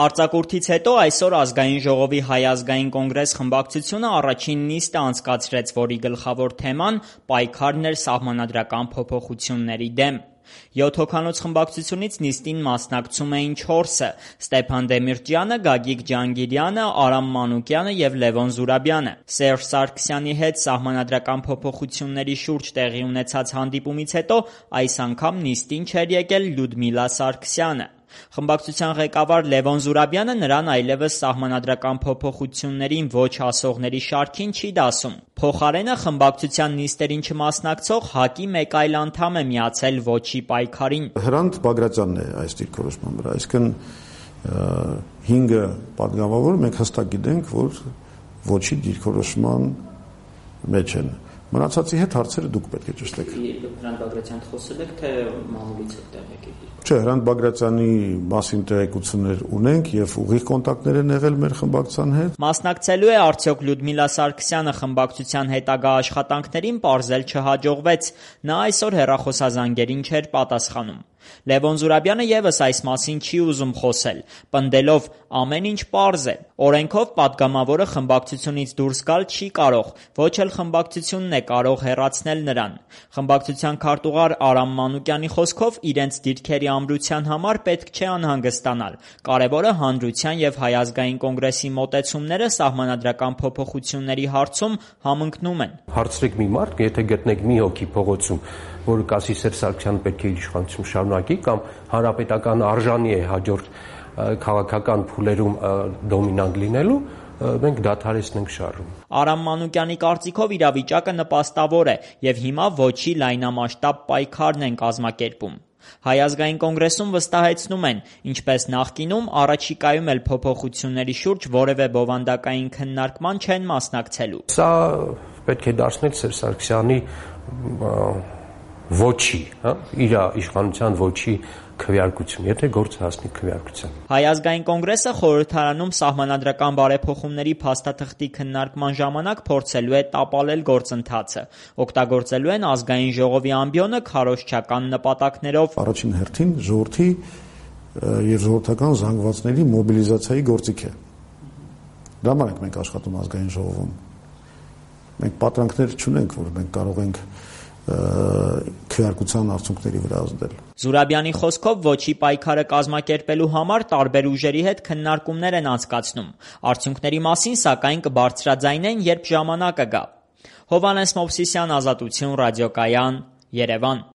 Արձակուրդից հետո այսօր Ազգային ժողովի Հայ ազգային կոնգրես խմբակցությունը առաջին նիստը անցկացրեց, որի գլխավոր թեման պայքարն էր սահմանադրական փոփոխությունների դեմ։ 7 հոգանոց խմբակցությունից նիստին մասնակցում էին 4-ը՝ Ստեփան Դեմիրճյանը, Գագիկ Ջանգիրյանը, Արամ Մանուկյանը և Լևոն Զուրաբյանը։ Սերժ Սարգսյանի հետ սահմանադրական փոփոխությունների շուրջ տեղի ունեցած հանդիպումից հետո այս անգամ նիստին չէր եկել Լյուդմիլա Սարգսյանը։ Խմբակցության ղեկավար Լևոն Զուրաբյանը նրան այլևս սահմանադրական փոփոխություններին ոչ ասողների շարքին չի դասում։ Փոխարենը խմբակցության նիստերին չմասնակցող ՀԱԿ-ի մեկ այլ անդամ է միացել ոչի պայքարին։ Հրանտ Բագրատյանն է այս դիրքորոշման վրա, այսինքն 5 պատգամավոր մենք հստակ գիտենք, որ ոչի դիրքորոշման մեջ են։ Մնացածի հետ հարցերը դուք պետք է ճշտեք։ Հրանտ Բագրատյանդ խոսել եք, թե մամուլից եք տեղեկ եկել։ Չէ, Հրանտ Բագրատյանի մասին տեղեկություններ ունենք եւ ուղիղ կոնտակտներ են եղել մեր խմբակցության հետ։ Մասնակցելու է արդյոք Լյուդմիլա Սարգսյանը խմբակցության հետագա աշխատանքներին, պարզել չհաջողվեց։ Նա այսօր հեռախոսազանգերին չէր պատասխանում։ Լևոն Զուրաբյանը եւս այս մասին չի ուզում խոսել, պնդելով ամեն ինչ պարզ է։ Օրենքով պատգամավորը խմբակցությունից դուրս գալ չի կարող, ոչ էլ խմբակցությունն է կարող հեռացնել նրան։ Խմբակցության քարտուղար Արամ Մանուկյանի խոսքով իրենց դիրքերի ամրության համար պետք չէ անհանգստանալ։ Կարևորը հանրության եւ Հայ ազգային կոնգրեսի մոտեցումները սահմանադրական փոփոխությունների հարցում համընկնում են։ Հարցրեք մի մարդ, եթե գտնեք մի հոգի փողոցում, որը կասի Սերժ Սարգսյանը պետք է իր իշխանություն շարունակի կամ հանրապետական արժանի է հաջորդ քաղաքական փուլերում դոմինանտ լինելու, մենք դադարեցնենք շարժումը։ Արամ Մանուկյանի կարծիքով իրավիճակը նպաստավոր է եւ հիմա ոչի լայնամասշտաբ պայքարն են կազմակերպում։ Հայ ազգային կոնգրեսում վստահեցնում են, ինչպես նախկինում, առաջիկայում էլ փոփոխությունների շուրջ որևէ բովանդակային քննարկման չեն մասնակցելու։ Սա պետք է դարձնել Սերժ Սարգսյանի ոչի, իր իշխանության ոչի քվեարկություն, եթե գործը հասնի քվեարկության։ Հայ ազգային կոնգրեսը խորհրդարանում սահմանադրական բարեփոխումների փաստաթղթի քննարկման ժամանակ փորձելու է տապալել գործընթացը։ Օգտագործելու են ազգային ժողովի ամբիոնը քարոզչական նպատակներով։ Առաջին հերթին ժողովրդի եւ ժողովրդական զանգվածների մոբիլիզացիայի գործիք է։ Դա համար ենք մենք աշխատում ազգային ժողովում։ Մենք պատրանքներ չունենք, որ մենք կարող ենք քվեարկության արդյունքների վրա ազդել։ Զուրաբյանի խոսքով ոչի պայքարը կազմակերպելու համար տարբեր ուժերի հետ քննարկումներ են անցկացնում։ Արդյունքների մասին սակայն կբարձրաձայնեն, երբ ժամանակը գա։ Հովհաննես Մովսիսյան, Ազատություն, Ռադիոկայան, Երևան։